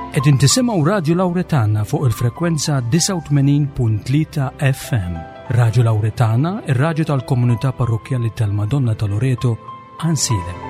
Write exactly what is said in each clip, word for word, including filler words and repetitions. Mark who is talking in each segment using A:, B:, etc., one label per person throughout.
A: Qegħdin tisimgħu Radju Lawretana fuq il-frekwenza disgħa u tmenin punt tlieta F M. Radju Lawretana, ir-radju tal-Komunità Parrokkjali tal-Madonna ta' Loreto, Għajnsielem.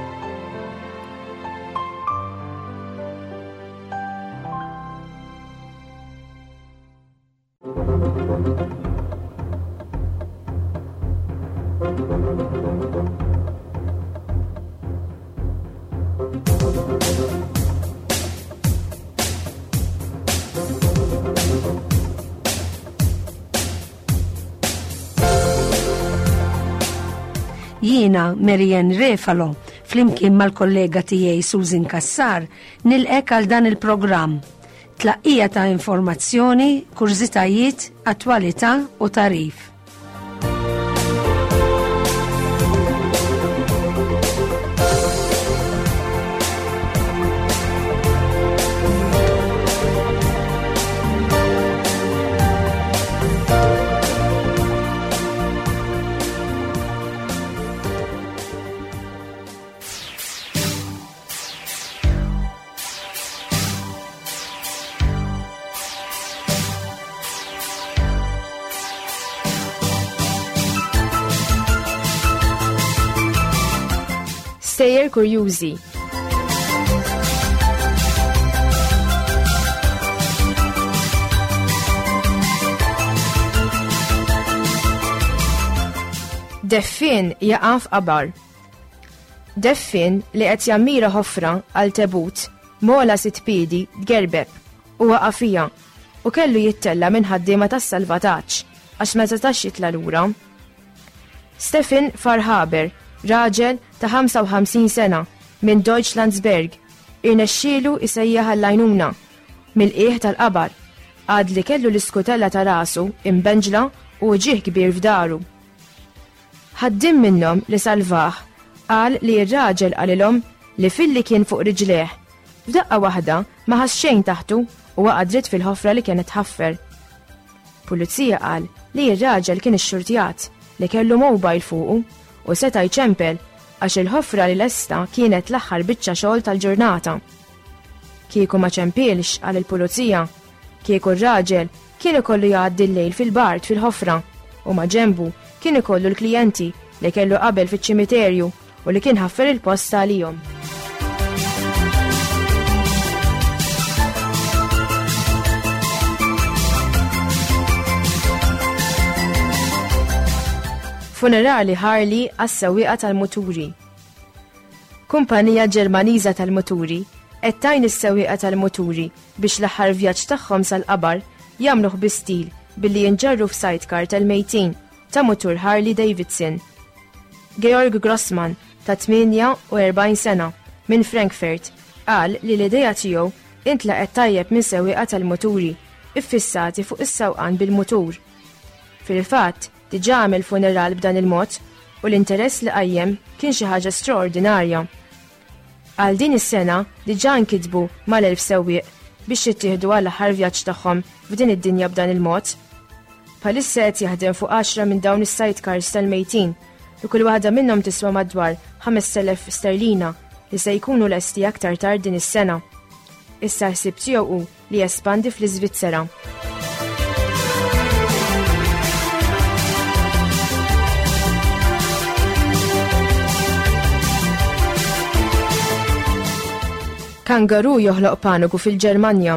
B: Jiena Marianne Refalo, flimkien mal-kollega tiegħi Susan Kassar, nilqgħek għal dan il-programm. Tlaqqija ta' informazzjoni, kurżitajiet, attwalità u tagħrif.
C: Stejjer kurjużi. Deffien jaqa' f'qabar. Deffien li qed jammira ħofra għal tebut m'ogħla sitt piedi tgerbeb u waqa' fiha u kellu jittella' minn ħaddiema tas-salvataġġ għax ma setax jitla' lura. Stefan Farhaber, raġel ta' ħamsa u ħamsin sena minn Deutschlandsberg, irnexxielu isejjaħ għall-għajnuna mill-qiegħ tal-qabar għad li kellu l-iskutella ta' rasu imbenġla u ġieħ kbir f'daru. Ħaddiem minnhom li salvah qal li r-raġel qalilhom li filli kien fuq riġleh, f'daqqa waħda ma ħass xejn taħtu u waqa' dritt fil-ħofra li kienet ħaffer. Pulizija qal li r-raġel kien ixxurtjat li kellu mobile fuqu u seta' jċempel għax il-ħofra li lesta kienet l-aħħar biċċa xogħol tal-ġurnata. Kieku ma ċempilx, qal il-pulizija, kieku r-raġel kien ikollu jgħaddi l-lejl fil-bard fil-ħofra u ma ġembu kien ikollu l-klijenti li kellu qabel fiċ-ċimiterju u li kien ħaffer il-post għalihom. Funerali Harley għas-sewwieqa tal-muturi. Kumpanija Ġermaniża tal-muturi qed tgħin is-sewwieqa tal-muturi biex l-aħħar vjaġġ tagħhom sal-qabar jagħmluh bi stil billi jinġarru f'sidecar tal-mejtin ta' mutur Harley Davidson. Georg Grossman ta' tmienja u erbgħin sena minn Frankfurt qal li l-idea tiegħu intlaqet tajjeb minn sewwieqa tal-muturi iffissati fuq is-sewqan bil-mutur. Fil-fatt, diġà għamel funeral b'dan il-mod u l-interess li qajjem kien xi ħaġa straordinarja. Għal din is-sena diġà nkitbu mal-elf sewwieq biex jittieħdu għal aħħar vjaġġ tagħhom f'din id-dinja b'dan il-mod. Bħalissa qed jaħdem fuq għaxra minn dawn is-sidecars tal-mejtin li kull waħda minnhom tiswa madwar ħamest elef sterlina li se jkunu lesti aktar tard din is-sena. Issa ħsieb tiegħu hu li jespandi fl-Iżvizzera. Kangaru joħloq paniku fil-Ġermanja.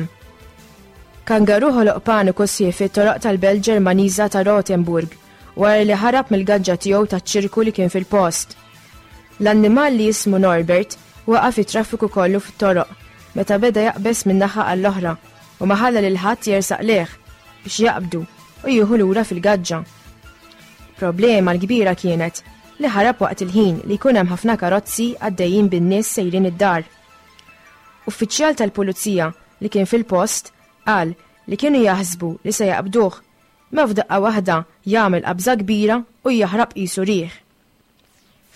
C: Kangaru ħoloq paniku sħiħ fit-toroq tal-belt Ġermaniża ta' Rothenburg wara li ħarab mill-gaġġa tiegħu taċ-ċirku li kien fil-post. L-annimal li jismu Norbert waqa' fit-traffiku kollu fit-toroq meta beda jaqbeż minn naħa għall-oħra u ma ħalla lil ħadd jersaq lejh biex jaqbdu u jieħu lura fil-gaġġa. Problema l-kbira kienet li ħarab waqt il-ħin li jkun hemm ħafna karozzi għaddejjin bin-nies sejrin id-dar. Uffiċjal tal-pulizija li kien fil-post qal li kienu jaħsbu li se jaqbduh, ma f'daqqa waħda jagħmel qabża kbira u jaħrab qisu riħ.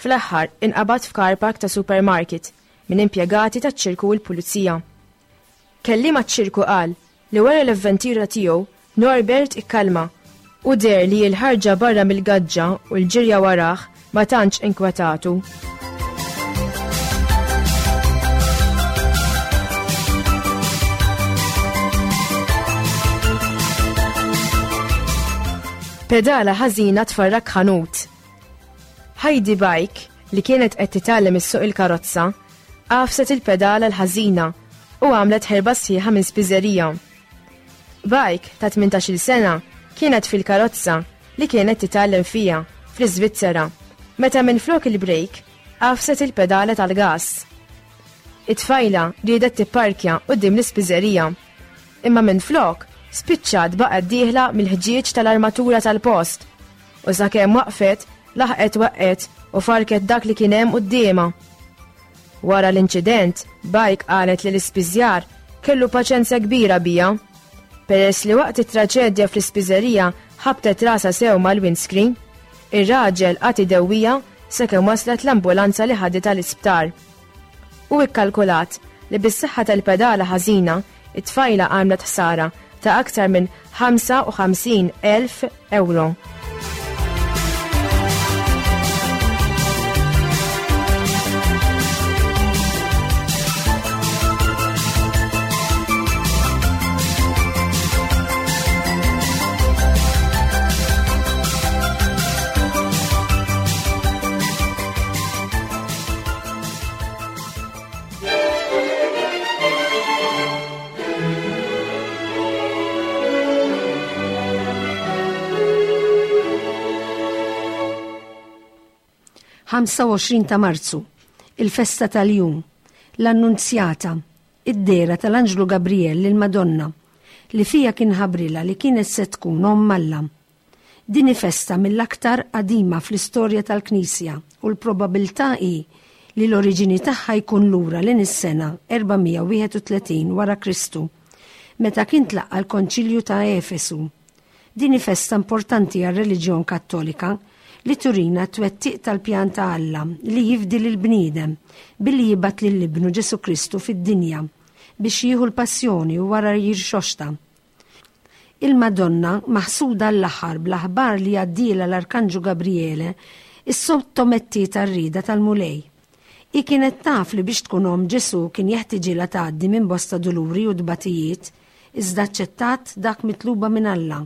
C: Fl-aħħar inqabad f'car park ta' supermarket minn impjegati taċ-ċirku u l-pulizija. Kelliem għaċ-ċirku qal li wara l-avventura tiegħu Norbert ikkalma u deher li l-ħarġa barra mill-gaġġa u l-ġirja warah ma tantx inkwetatu. Pedala ħażina tfarrak ħanut. Heidi Bike, li kienet qed titgħallem issuq il-karozza, għafset il-pedala l-ħażina u għamlet ħerba sħiħa minn spiżerija. Bike ta' tmintax-il sena kienet fil-karozza li kienet titgħallem fija fl-Iżvizzera, meta minflok il-brejk għafset il-pedala tal-gas. It-tfajla riedet tipparkja quddiem l-ispiżerija, imma minflok spiċċat baqgħet dieħla mill-ħġieġ tal-armatura tal-post u sakemm waqfet laħqet waqgħet u farket dak li kien hemm quddiemha. Wara l-inċident, Bike qalet li l-ispiżjar kellu paċenzja kbira bija, peress li waqt it-traġedja fl-ispiżerija ħabtet rasha sew mal-windscreen, ir-raġel qagħad idewwija sakemm waslet l-ambulanza li ħaditha l-isptar. U ikkalkulat li bis-saħħa tal-pedala ħażina, it-tfajla għamlet ħsara ta' aktar minn ħamsa u ħamsin elf euro.
B: ħamsa u għoxrin ta' Marzu, il-festa tal-jum, l-Annunzjata, id-dehra tal-Anġlu Gabriel lil Madonna, li fija kien ħabrilha li kienet se tkun omm Alla. Din hi festa mill-aktar qadima fl-istorja tal-Knisja u l-probabilità hi li l-oriġini tagħha jkun lura lejn is-sena erba' mija u wieħed u tletin wara Kristu, meta kien tlaqqa l-Konċilju ta' Efesu. Din hi festa importanti għar-reliġjon Kattolika li turina t-twettiq tal-pjan ta' Alla li jifdi lil bniedem billi jibgħat lil ibnu Ġesu Kristu fid-dinja biex jieħu l-passjoni u wara jirxoxta. Il-Madonna, maħsuda l-aħħar bl-aħbar li għaddielha l-Arkanġu Gabriele, issottomettiet għar-rieda tal-Mulej. Hi kienet taf li biex tkun omm Ġesu kien jeħtieġilha tgħaddi minn bosta duluri u tbatijiet, iżda aċċettat dak mitluba minn Alla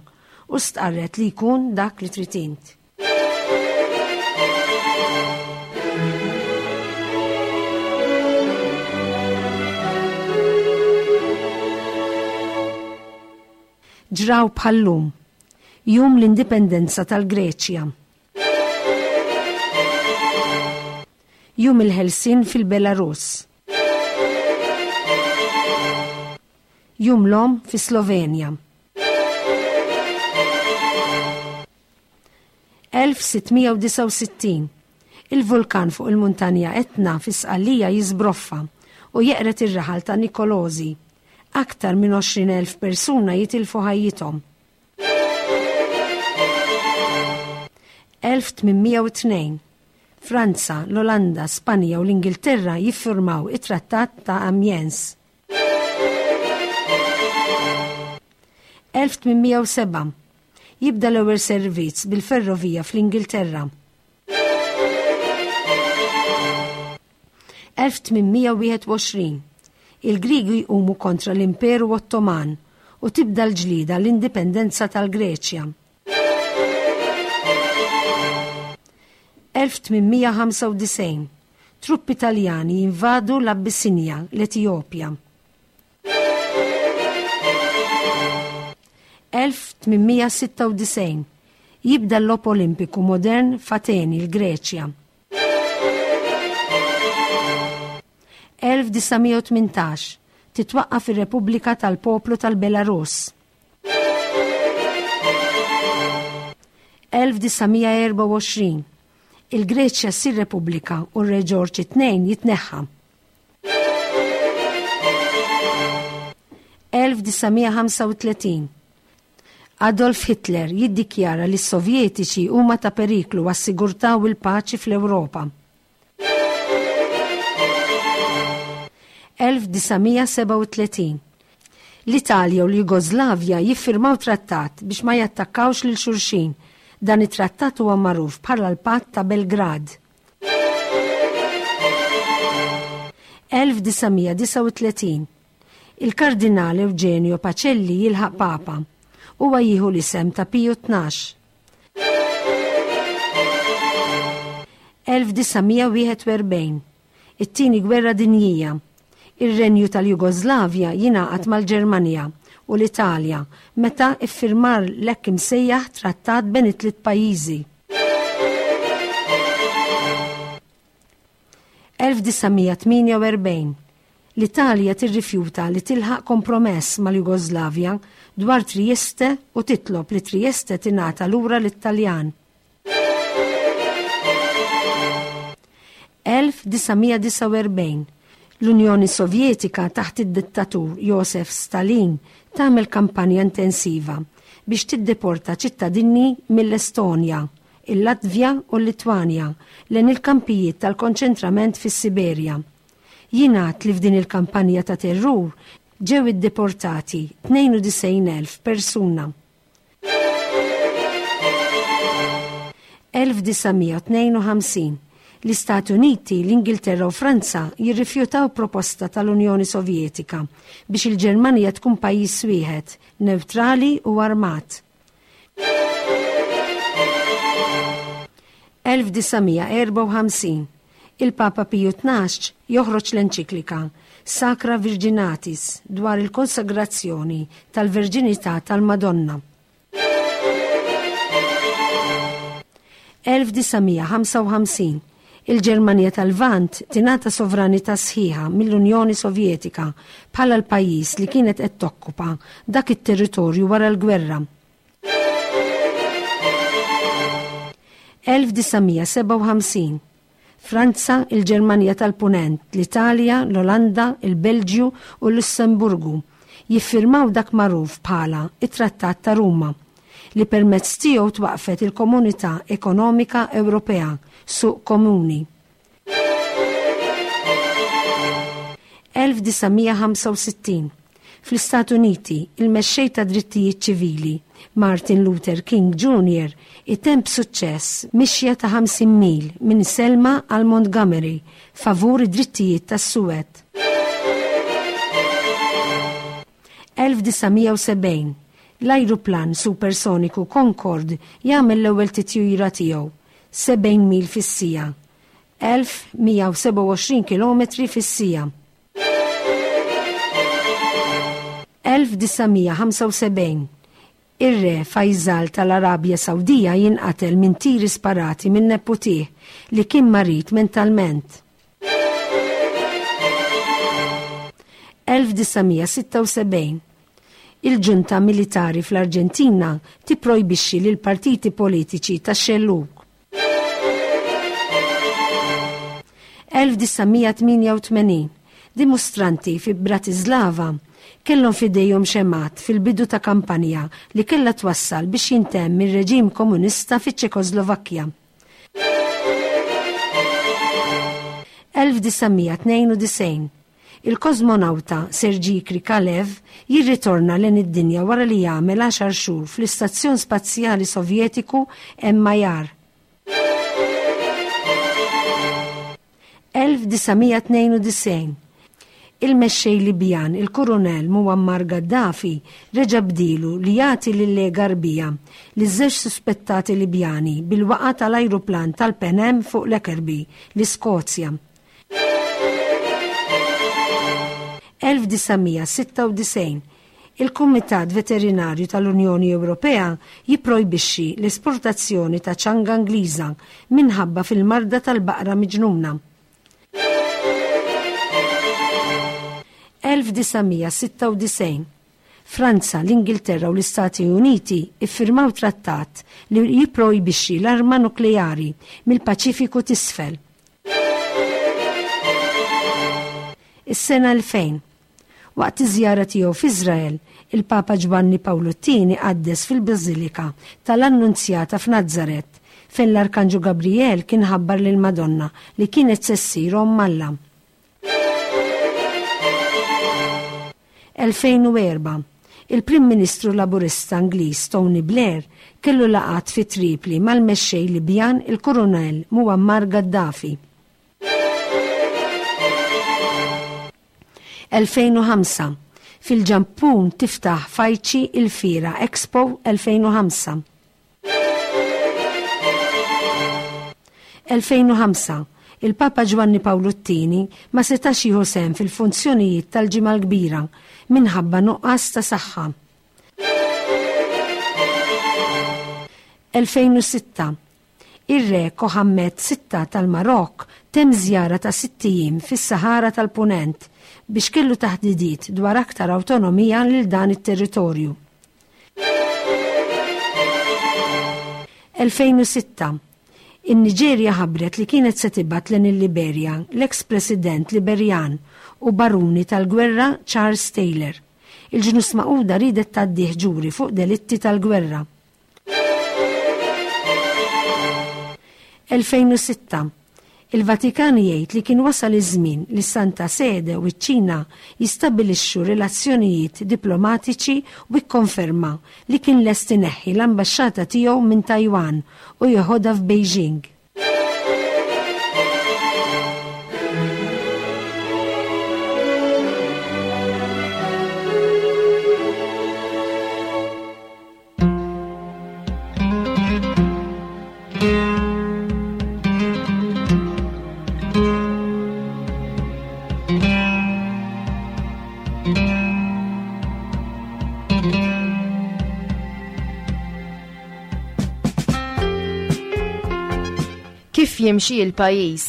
B: u stqarret li jkun dak li trid int. Ġraw bħallum, jum l-indipendenza tal-Greċja. Jum il-Ħelsien fil-Belarus. Jum l-Omm fi Slovenja. elf sittmija u disgħa u sittin. Il-vulkan fuq il-muntanja Etna fi Sqallija jiżbroffa u jeqret ir-raħal ta' Nikolosi. Aktar minn għoxrin elf persuna jitilfu ħajjithom. elf tmienmija u tnejn. Franza, l-Olanda, Spanja u l-Ingilterra jiffirmaw it-Trattat ta' Amiens. elf tmienmija u seba'. Jibda l-ewwel servizz bil-ferrovija fl-Ingilterra. elf tmienmija u wieħed u għoxrin. Il-Griegi jqumu kontra l-Imperu Ottoman u tibda l-ġlida l-indipendenza tal-Greċja. elf tmienmija ħamsa u disgħin. Truppi Taljani jinvadu l-Abissinja, l-Etjopja. elf tmienmija sitta u disgħin. Jibda l-Logħob Olimpiku Modern f'Ateni, l-Greċja. elf disa' mija u tmintax. Titwaqqaf ir-Repubblika tal-Poplu tal-Belarus. elf disa' mija erba' u għoxrin. Il-Greċja ssir Repubblika u r-Re Ġorġ it-tnejn jitneħħa. elf disa' mija ħamsa u tletin. Adolf Hitler jiddikjara li s-Sovjetiċi huma ta' periklu għas-sigurtà u l-paċi fl-Ewropa. elf disa' mija seba' u tletin. L-Italja u l-Jugoslavja jiffirmaw trattat biex ma jattakkawx lil xulxin. Dan it-trattat huwa magħruf bħala l-Patt ta' Belgrad. elf disa' mija disgħa u tletin. Il-Kardinal Eugenio Pacelli jilħaq Papa. Huwa jieħu l-isem ta' Piju tnax. elf disa' mija wieħed u erbgħin. It-Tieni Gwerra Dinjija. Ir-Renju tal-Jugoslavja jingħaqad mal-Ġermanja u l-Italja meta iffirmar l-hekk imsejjaħ trattat bejn it-tliet pajjiżi. elf disa' mija tmienja u erbgħin. L-Italja tirrifjuta li tilħaq kompromess mal-Jugoslavja dwar Trieste u titlob li Trieste tingħata lura lit-Taljan. elf disa' mija disgħa u erbgħin. L-Unjoni Sovjetika taħt id-dittatur Josef Stalin tagħmel kampanja intensiva biex tiddeporta ċittadini mill-Estonja, il-Latvja u l-Litwanja lejn il-kampijiet tal-konċentrament fis-Siberja. Jingħad li f'din il-kampanja ta' terrur ġew iddeportati tnejn u disgħin elf persuna. elf disa' mija tnejn u ħamsin. L-Istati Uniti, l-Ingilterra u Franza jirrifjutaw proposta tal-Unjoni Sovjetika biex il-Ġermanja tkun pajjiż wieħed, neutrali u armat. elf disa' mija erba' u ħamsin. Il-Papa Piju tnax joħroġ l-enċiklika Sacra Virginatis dwar il-konsagrazzjoni tal-Verġinità tal-Madonna. elf disa' mija ħamsa u ħamsin. Il-Ġermanja tal-Lvant tingħata sovranità sħiħa mill-Unjoni Sovjetika bħala l-pajjiż li kienet qed tokkupa dak it-territorju wara l-gwerra. elf disa' mija sebgħa u ħamsin. Franza, il-Ġermanja tal-Punent, l-Italja, l-Olanda, il-Belġju u l-Lussemburgu jiffirmaw dak magħruf bħala it-Trattat ta' Ruma, li permezz tiegħu twaqfet il-Komunità Ekonomika Ewropea, suq komuni. elf disa' mija ħamsa u sittin. Fl-Istati Uniti, il-mexxej ta' drittijiet ċivili, Martin Luther King Junior, itemm b'suċċess mixja ta' ħamsin mil minn Selma għal Montgomery favur id-drittijiet tas-Suwed. elf disa' mija u sebgħin. L-ajruplan supersoniku Concorde jagħmel l-ewwel titjira tiegħu, sebgħin mil fis-siegħa, elf mija u sebgħa u għoxrin kilometri fis-siegħa. elf disa' mija ħamsa u sebgħin. Ir-re Faisal tal-Arabja Sawdija jinqatel minn tiri sparati minn neputih li kien marid mentalment. elf disa' mija sitta u sebgħin. Il-ġunta militari fl-Arġentina tipprojbixxi lil partiti politiċi tax-xellug. elf disa' mija tmienja u tmenin. Dimostranti fi Bratislava kellhom f'idejhom xemat fil-bidu ta' kampanja li kellha twassal biex jintemm ir-reġim komunista fiċ-Ċekoslovakkja. elf disa' mija tnejn u disgħin. Il-kosmonawta Sergei Krikalev jirritorna lejn id-dinja wara li jagħmel għaxar xhur fl-Istazzjon Spazjali Sovjetiku M I R. elf disa' mija tnejn u disgħin. Il-mexxej Libjan, il-Kurunell Muammar Gaddafi, reġa' bdilu li jagħti lil-Lega Għarbija li żewġ suspettati Libjani bil-waqa tal-ajruplan tal-Pan Am fuq Lockerbie, l-Iskozja. elf disa' mija sitta u disgħin. Il-Kumitat Veterinarju tal-Unjoni Ewropea jipprojbixxi l-esportazzjoni ta' ċanga Ingliża minħabba fil-marda tal-baqra miġnuna. elf disa' mija sitta u disgħin. Franza, l-Ingilterra u l-Istati Uniti iffirmaw trattat li jipprojbixxi l-arma nukleari mill-Paċifiku t'isfel. Is-sena elfejn. Waqt iż-żjara tiegħu f'Iżrael, il-Papa Ġwanni Pawlu t-tieni qaddes fil-Bażilika tal-Annunzjata f'Nazaret, fejn l-Arkanġu Gabriel kien ħabbar lil Madonna li kienet se ssir omm Alla. elfejn u erba'. Il-Prim Ministru Laburista Ingliż Tony Blair kellu laqgħat fi Tripli mal-mexxej Libjan il-Kurunell Muammar Gaddafi. elfejn u ħamsa. Fil-Ġappun tiftaħ f'Aichi il-Fiera Expo elfejn u ħamsa. elfejn u ħamsa, il-Papa Ġwanni Pawlu t-tieni ma setax jieħu sehem fil-funzjonijiet tal-Ġimgħa l-Kbira minħabba nuqqas ta' saħħa. elfejn u sitta, ir-re Mohammed sitta tal-Marokk temm żjara ta' sitt ijiem fis-Sahara tal-Punent biex kellu taħdidiet dwar aktar awtonomija lil dan it-territorju. elfejn u sitta, in-Niġerja ħabbret li kienet se tibgħat lejn il-Liberja l-eks-president Liberjan u baruni tal-gwerra Charles Taylor. Il-ġnus Magħquda riedet tgħaddih ġuri fuq delitti tal-gwerra. elfejn u sitta, il-Vatikan jgħid li kien wasal iż-żmien li Santa Sede u ċ-Ċina jistabbilixxu relazzjonijiet diplomatiċi u kkonferma li kien lest ineħħi l-ambaxxata tiegħu minn Taiwan u jeħodha f'Beijing.
C: Kif jimxi l-pajjiż?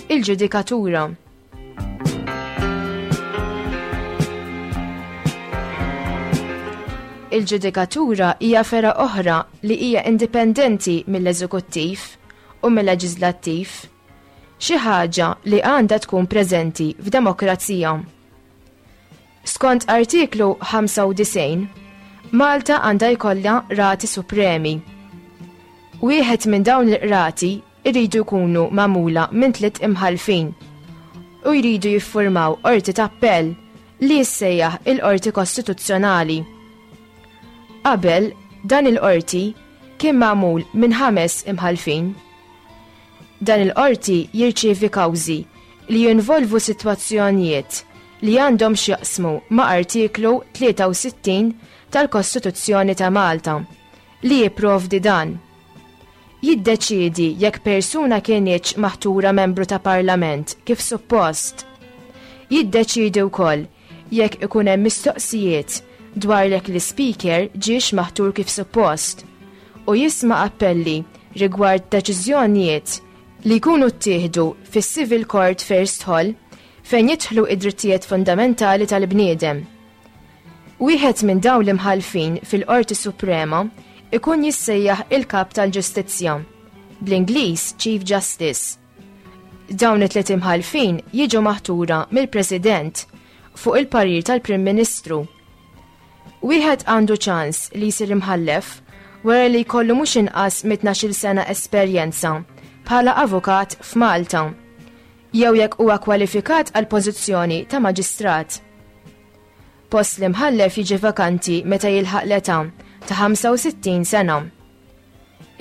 C: Il-ġudikatura. Il-ġudikatura hija fergħa oħra li hija indipendenti mill-eżekuttiv u mill-leġislattiv, xi ħaġa li għandha tkun preżenti f'demokrazija. Skont artiklu ħamsa u disgħin, Malta għandha jkollha rati supremi. Wieħed minn dawn il-qrati jridu jkunu magħmula minn tliet imħallfin u jridu jiffurmaw qorti t'appell li jissejjaħ il-Qorti Kostituzzjonali. Qabel dan il-qorti kien magħmul minn ħames imħallfin. Dan il-qorti jirċievi kawżi li jinvolvu sitwazzjonijiet li għandhom x'jaqsmu ma' artiklu tlieta u sittin tal-Kostituzzjoni ta' Malta li jipprovdi dan. Jiddeċiedi jekk persuna kienx maħtura membru ta' parlament kif suppost. Jiddeċiedi wkoll jekk ikun hemm mistoqsijiet dwar jekk l-ispeaker ġiex maħtur kif suppost u jisma' appelli rigward deċiżjonijiet li jkunu ttieħdu fis-Civil Court First Hall fejn jidħlu id-drittijiet fundamentali tal-bniedem. Wieħed minn dawn l-imħallfin fil-Qorti Suprema ikun jissejjaħ il-Kap tal-Ġustizzja, bl-Ingliż Chief Justice. Dawn it-tliet imħallfin jiġu maħtura mill-President fuq il-parir tal-Prim Ministru. Wieħed għandu ċans li jsir imħallef wara li jkollu mhux inqas minn tnax-il sena esperjenza bħala avukat f'Malta, jew jekk huwa kwalifikat għal pożizzjoni ta' maġistrat. Post l-imħallef jiġi vakanti meta jilħaq l-età ta' ħamsa u sittin sena.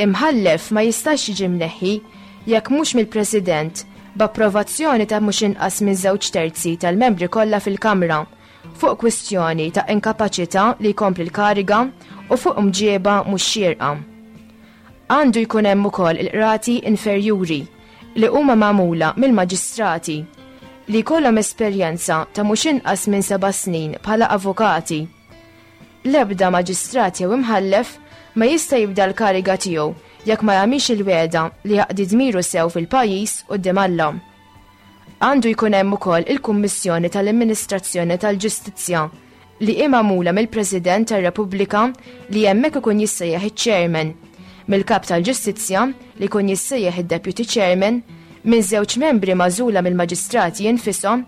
C: Imħallef ma jistax jiġi mneħħi jekk mhux mill-President b'approvazzjoni ta' mhux inqas minn żewġ terzi tal-membri kollha fil-Kamra fuq kwistjoni ta' inkapaċità li jkompli l-kariga u fuq mġieba mhux xierqa. Għandu jkun hemm ukoll il-qrati inferjuri li huma magħmula mill-maġistrati li jkollhom esperjenza ta' mhux inqas minn seba' snin bħala avukati. L-ebda maġistrat jew imħallef ma jista' jibda l-kariga tiegħu jekk ma jagħmilx il-wegħda li jaqdi dmiru sew fil-pajjiż quddiem Alla. Għandu jkun hemm ukoll il-Kummissjoni tal-Amministrazzjoni tal-Ġustizzja li hi magħmula mill-President tar-Repubblika li hemmhekk ikun jissejjaħ iċ-Chairman, mill-Kap tal-Ġustizzja li jkun jissejjaħ id-Deputy Chairman, minn żewġ membri magħżula mill-maġistrati infushom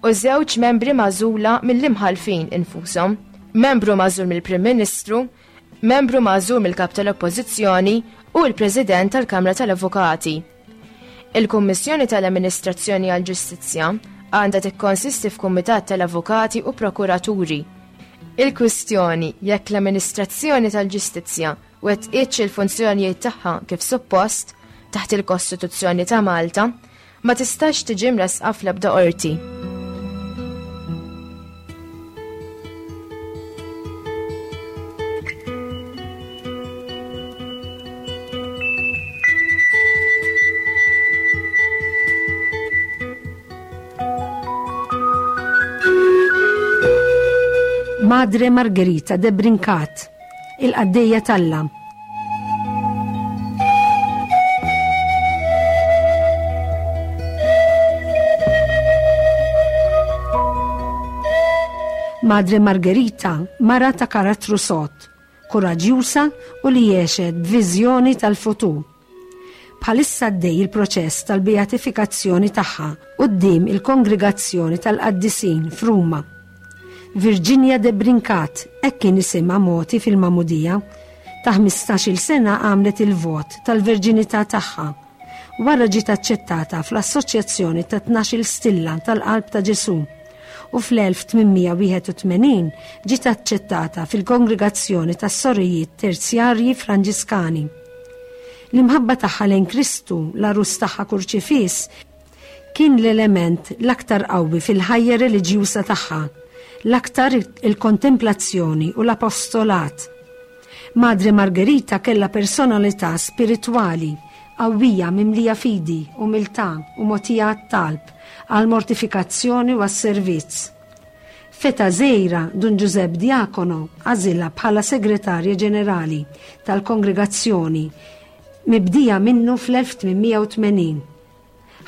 C: u żewġ membri magħżula mill-imħallfin infushom, membru magħżul mill-Prim Ministru, membru magħżul mill-Kap tal-Oppożizzjoni u l-President tal-Kamra tal-Avukati. Il-Kummissjoni tal-Amministrazzjoni għall-Ġustizzja għandha tikkonsisti f'Kumitat tal-Avukati u Prokuraturi. Il-kwistjoni jekk l-Amministrazzjoni tal-Ġustizzja wettqitx il-funzjonijiet tagħha kif suppost taħt il-Kostituzzjoni ta' Malta ma tistax tiġi mressqa fl-ebda qorti.
B: Madre Margherita de Brincat, il-qaddejja t'Alla. Madre Margherita, mara ta' karattru sod, kuraġġjuża u li għexet b'viżjoni tal-futur. Bħalissa għaddej il-proċess tal-beatifikazzjoni tagħha quddiem il-Kongregazzjoni tal-Qaddisin f'Ruma. Virginia de Brincat, hekk kien isimha mogħti fil-Magħmudija, ta' ħmistax-il sena għamlet il-vot tal-verġinità tagħha. Wara ġiet aċċettata fl-Assoċjazzjoni ta' tnax-il Stilla tal-Qalb ta' Ġesù u fl-elf tmien mija wieħed u tmenin ġiet aċċettata fil-Kongregazzjoni tas-Sorijiet Terzjarji Franġiskani. L-imħabba tagħha lejn Kristu, l-għarus tagħha kurċifiss, kien l-element l-aktar qawwi fil-ħajja reliġjuża tagħha, l-aktar il-kontemplazzjoni u l-apostolat. Madre Margherita kellha personalità spiritwali qawwija mimlija fidi, umiltà u mogħtija għat-talb, għall-mortifikazzjoni u għas-servizz. Feta żgħira Dun Giuseppe Diacono għażilha bħala segretarja ġenerali tal-kongregazzjoni mibdija minnu fl-elf tmien mija u tmenin.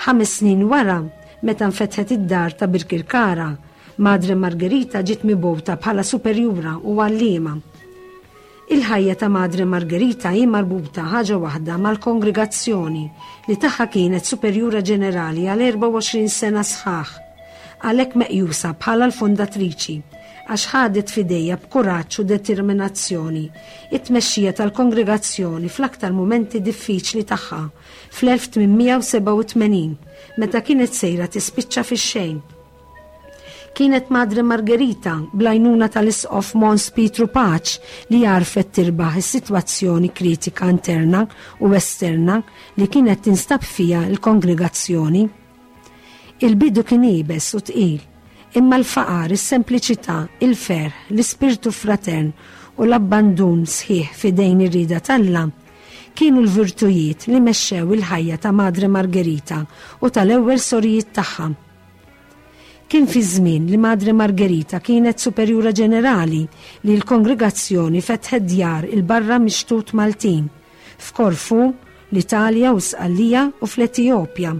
B: Ħames snin wara, meta nfetħet id-dar ta' Birkirkara, Madre Margherita ġiet mibgħuta bħala superjura u għalliema. Il-ħajja ta' Madre Margherita hi marbuta ħaġa waħda mal-kongregazzjoni li tagħha kienet superjura ġenerali għal erbgħa u għoxrin sena sħaħ, għalhekk meqjusa bħala l-fondatriċi, għax ħadet f'idejha b'kuraġġ u determinazzjoni it-tmexxija tal-kongregazzjoni fl-aktar mumenti diffiċli tagħha fl-elf tmien mija u sebgħa u tmenin, meta kienet sejra tispiċċa fix-xejn. Kienet Madre Margherita bl-għajnuna tal-Isqof Mons Pietru Pace li għarfet tirbaħ is-sitwazzjoni kritika interna u esterna li kienet tinstab fija l-kongregazzjoni. Il-bidu kien iebes u tqil, imma l-faqar, is-sempliċità, il-ferħ, l-ispirtu fratern u l-abbandun sħiħ fidejn ir-rieda t'Alla kienu l-virtujiet li mexxew il-ħajja ta' Madre Margherita u tal-ewwel sorijiet tagħha. Kien fi żmien li Madre Margherita kienet superjura ġenerali li l-kongregazzjoni fetħet djar il-barra mixtut Maltin, f'Korfu, l-Italja u Sqallija u fl-Etjopja.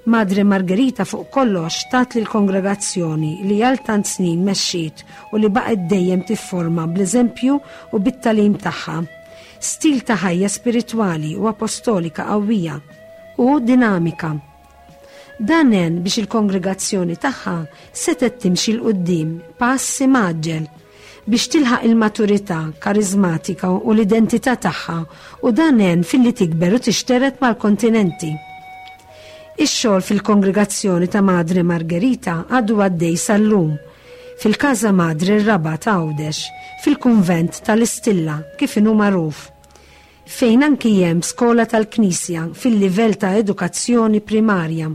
B: Madre Margherita fuq kollox tat lill-kongregazzjoni li għal tant snin mexxiet u li baqgħet dejjem tifforma bl-eżempju u bit-tagħlim tagħha, stil ta' ħajja spiritwali u apostolika qawwija u dinamika. Dan għen biex il-kongregazzjoni tagħha setgħet timxi 'l quddiem pass imgħaġġel biex tilħaq il-maturità karizmatika u l-identità tagħha, u dan għen filli tikber u tixteret mal-kontinenti. Ix-xogħol fil-kongregazzjoni ta' Madre Margherita għadu għaddej sal-lum fil-Casa Madre r-Rabat Għawdex, fil-kunvent tal-Istilla kif inhu magħruf, fejn anki hemm skola tal-Knisja fil-livell ta' edukazzjoni primarja.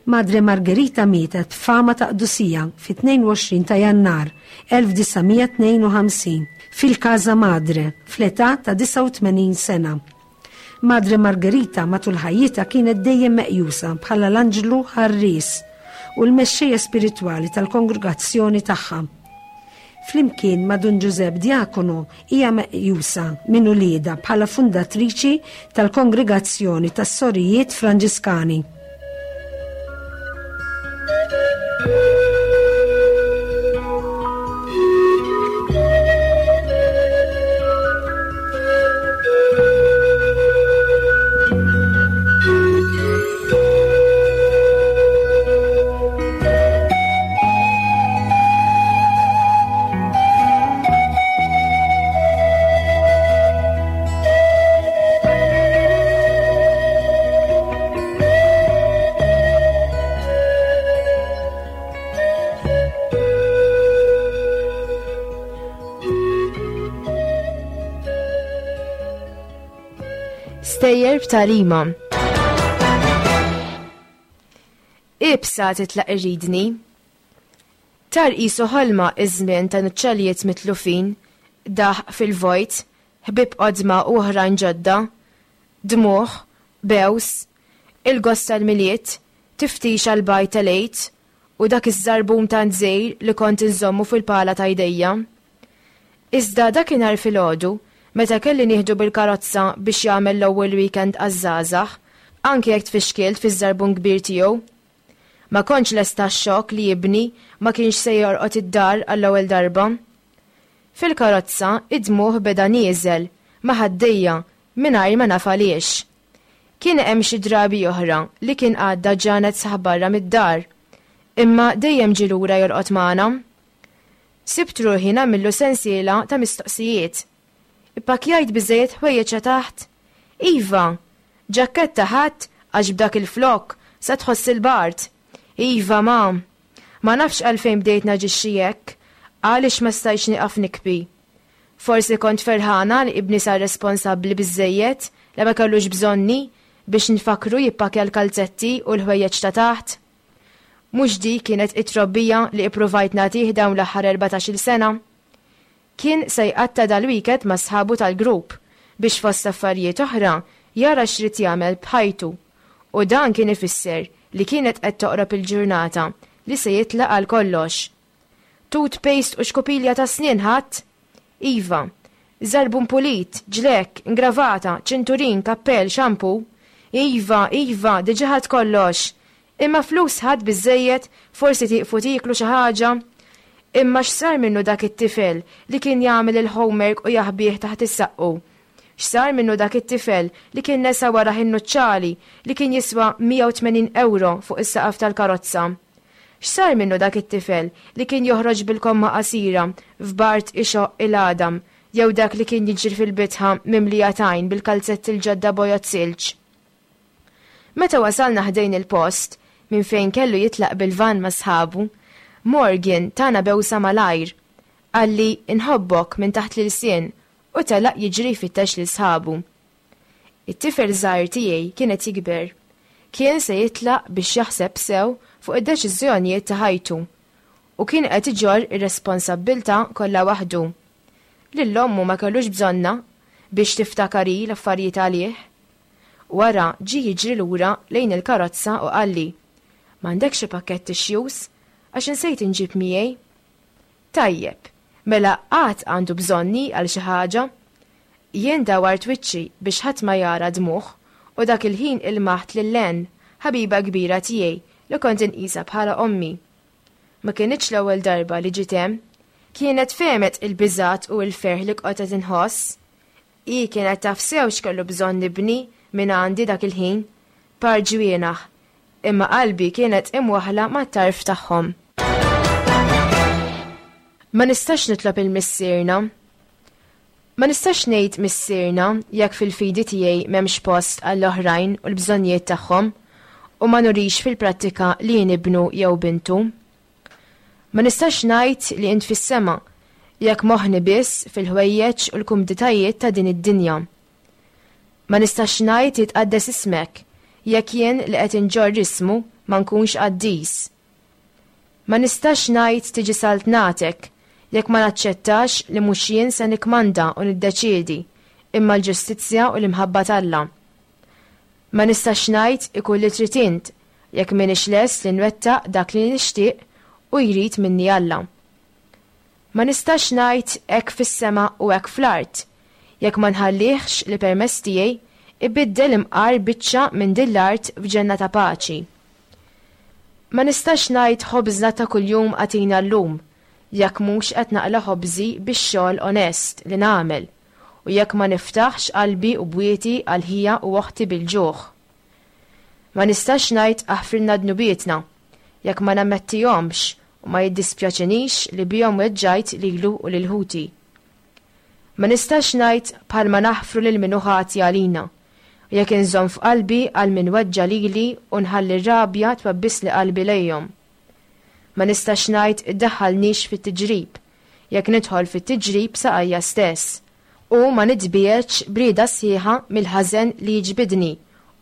B: Madre Margherita mietet b'fama ta' qdusija fit-tnejn u għoxrin ta' Jannar elf disa' mija tnejn u ħamsin fil-Casa Madre fl-età ta' disgħa u tmenin sena. Madre Margherita matul ħajjitha kienet dejjem meqjusa bħala l-anġlu ħarries u l-mexxejja spiritwali tal-kongregazzjoni tagħha. Flimkien ma' Dun Giuseppe Diacono hija meqjusa minn uliedha bħala fundatriċi tal-Kongregazzjoni tas-Sorijiet Franġiskani.
C: Stejjer b'tagħlima. Ibsa titlaq irridni. Tar qisu ħolma iż-żmien ta' nuċċalijiet mitlufin, daħq fil-vojt, ħbieb qodma u oħrajn ġodda, dmuħ, bews, il-gost tal-Milied, tiftix għall-bajt tal-Għid u dak iż-żarbun tant żgħir li kont inżommu fil-pala ta' jdejja. Iżda dakinhar filgħodu, meta kelli nieħdu bil-karozza biex jagħmel l-ewwel weekend għaż-żgħażagħ, anke jekk tfixkilt fiż-żarbun kbir tiegħu. Ma kontx lesta għax-xokk li ibni ma kienx se jorqod id-dar għall-ewwel darba. Fil-karozza id-dmugħ beda nieżel ma' ħaddejja mingħajr ma naf għaliex. Kien hemm xi drabi oħra li kien għadda ġranet sħaħ barra mid-dar, imma dejjem ġie lura jorqod magħna. Sibt ruħi nagħmillu sensiela ta' mistoqsijiet. Ippakkjajt biżejjed ħwejjeġ taħt? Iva, ġakketta ħadt għax b'dak il-flok sa tħoss il-bard. Iva, ma. Ma nafx għalfejn bdejt naġixxi hekk, għaliex ma stajtx nieqaf nikbi. Forsi kont ferħana li ibni sar responsabbli biżejjed li ma kellux bżonni biex nfakru jippakja l-kalzetti u l-ħwejjeġ ta' taħt. Mhux dik kienet it-trobbija li ippruvajt nagħtih dawn l-aħħar erbatax-il sena. Kien se jqatta' dal-weekend ma' sħabu tal-grupp biex fost affarijiet oħra jara x'rid jagħmel b'ħajtu. U dan kien ifisser li kienet qed toqrob il-ġurnata li se jitlaq għal kollox. Toothpaste u xkupilja ta' snien ħadd? Iva, żarbun pulit, ġlekk, ingravata, ċinturin, kappell, shampoo. Iva, iva, diġà ħadt kollox. Imma flus ħadt biżejjed, forsi tieqfu tieklu xi ħaġa. Imma x'sar minnu dak it-tifel li kien jagħmel il-homework u jaħbih taħt is-saqqu? X'sar minnu dak it-tifel li kien nesa warah in-nuċċali li kien jiswa mija u tmenin euro fuq is-saqaf tal-karozza? X'sar minnu dak it-tifel li kien joħroġ bil-komma qasira f'bart ixoq il-għadam jew dak li kien jiġri fil-bitħa mimlija tajn bil-kalzetti l-ġodda bojod silġ? Meta wasalna ħdejn il-post minn fejn kellu jitlaq bil-van ma' sħabu, Morgan tana bewsa malajr, qalli inħobbok minn taħt l-ilsien u telaq jiġri jfittex lil sħabu. It-tifel żgħir tiegħi kien qed jikber. Kien se jitlaq biex jaħseb sew fuq id-deċiżjonijiet ta' ħajtu u kien qed iġorr ir-responsabbiltà kollha waħdu. Lil ommu ma kellux bżonna biex tiftakari l-affarijiet għalih. Wara ġie jiġri lura lejn il-karozza u qalli, M'għandekx xi pakkett tissues għax insejt inġib miegħi? Tajjeb, mela qatt għandu bżonni għal xi ħaġa? Jien dawart wiċċi biex ħadd ma jara dmuħ u dak il-ħin ilmaħt lil Len, ħabiba kbira tiegħi li kont inqisha bħala ommi. Ma kienitx l-ewwel darba li ġiet hemm, kienet fehmet il-biżat u l-ferħ li kont qed inħoss. Hi kienet taf sew x'kellu bżonn nibni minn għandi dak il-ħin, par ġwienaħ, imma qalbi kienet imwaħla mat-tarf tagħhom. Ma nistax nitlob il-missierna. Ma nistax ngħid missierna jekk fil-fidi tiegħi m'hemmx post għall-oħrajn u l-bżonnijiet tagħhom u ma nurix fil-prattika li jien ibnu jew bintu. Ma nistax ngħid li int fis-sema jekk moħħni biss fil-ħwejjeġ u l-kumditajiet ta' din id-dinja. Ma nistax ngħid jitqaddes ismek jekk jien li qed inġorr ismu ma nkunx qaddis. Ma nistax ngħid tiġi saltnatek jekk ma naċċettax li mhux jien se nikmanda u niddeċiedi imma l-ġustizzja u l-imħabba t'Alla. Ma nistax ngħid ikun li trid int jekk m'iniex lest li nwettaq dak li nixtieq u jrid minni Alla. Ma nistax ngħid hekk fis-sema u hekk fl-art jekk ma nħallihx li permess tiegħi ibiddel imqar biċċa minn din l-art f'ġenna ta' paċi. Ma nistax ngħid ħobżna ta' kuljum għatina llum jekk mhux qed naqla' ħobżi bix-xogħol onest li nagħmel u jekk ma niftaħx qalbi u bwieti għal ħija u oħti bil-ġuħ. Ma nistax ngħid aħfrilna dnubietna jekk ma nammettihomx u ma jiddispjaċinix li bihom weġġajt lilu u lil ħuti. Ma nistax ngħid bħalma naħfru lil min hu ħati għalina, u jekk inżomm f'qalbi għal min weġġa lili u nħalli r-rabja twabbisli qalbi lejhom. Ma nistax ngħid iddaħħalnix fit-tiġrib, jekk nidħol fit-tiġrib saqajja stess, u ma nitbiegħedx brieda sħiħa mill-ħażen li jiġbidni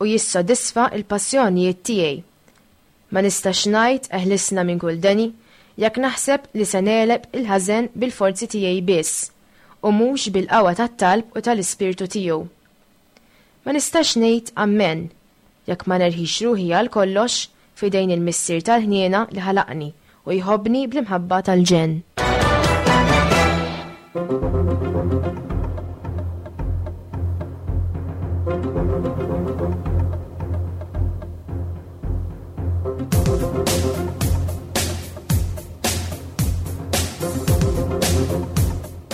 C: u jissodisfa l-passjonijiet tiegħi. Ma nistax ngħid eħlisna minn kull deni jekk naħseb li se negħleb il-ħażen bil-forzi tiegħi biss u mhux bil-qawwa tat-talb u tal-ispirtu tiegħu. Ma nistax ngħid ammen jekk ma nerħix ruħi għal kollox f'idejn il-Missier tal-ħniena li ħalaqni u jħobbni bl-imħabba tal-ġenn.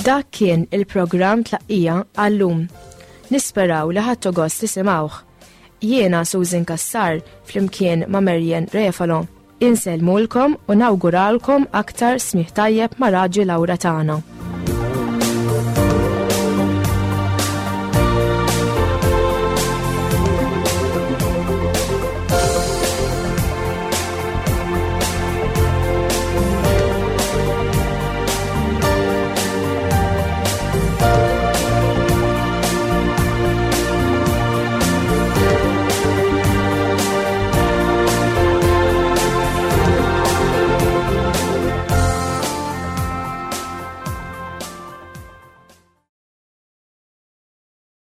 C: Dak kien il-programm Tlaqqija għallum. Nisperaw li ħadtu gost tisimgħuh. Jiena Susan Cassar flimkien ma' Marian Refalo. Insellmulkom u nawguralkom aktar smigħ tajjeb ma' Radju Lauretana.